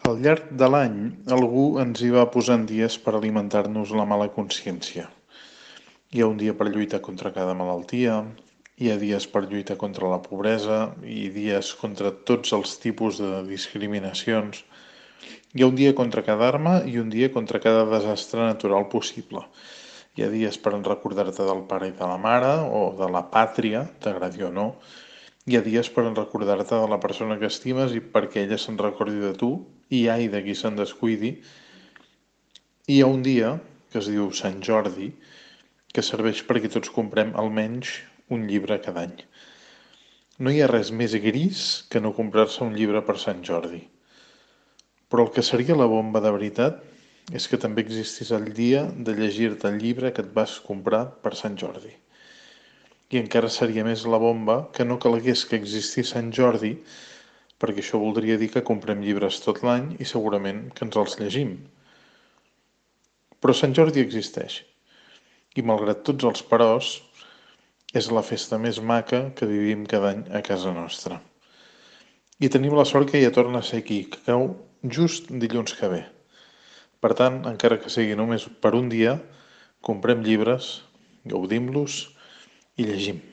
Al llarg de l'any, algú ens hi va posant dies per alimentar-nos la mala consciència. Hi ha un dia per lluitar contra cada malaltia, hi ha dies per lluitar contra la pobresa i dies contra tots els tipus de discriminacions. Hi ha un dia contra cada arma i un dia contra cada desastre natural possible. Hi ha dies per recordar-te del pare i de la mare, o de la pàtria, t'agradi o no. Hi ha dies per recordar-te de la persona que estimes i perquè ella se'n recordi de tu, i ai de qui se'n descuidi. Hi ha un dia, que es diu Sant Jordi, que serveix perquè tots comprem almenys un llibre cada any. No hi ha res més gris que no comprar-se un llibre per Sant Jordi. Però el que seria la bomba de veritat és que també existís el dia de llegir-te el llibre que et vas comprar per Sant Jordi. I encara seria més la bomba que no calgués que existís Sant Jordi, perquè això voldria dir que comprem llibres tot l'any i segurament que ens els llegim. Però Sant Jordi existeix. I malgrat tots els peròs, és la festa més maca que vivim cada any a casa nostra. I tenim la sort que ja torna a ser aquí, que cau just dilluns que ve. Per tant, encara que sigui només per un dia, comprem llibres, gaudim-los i llegim.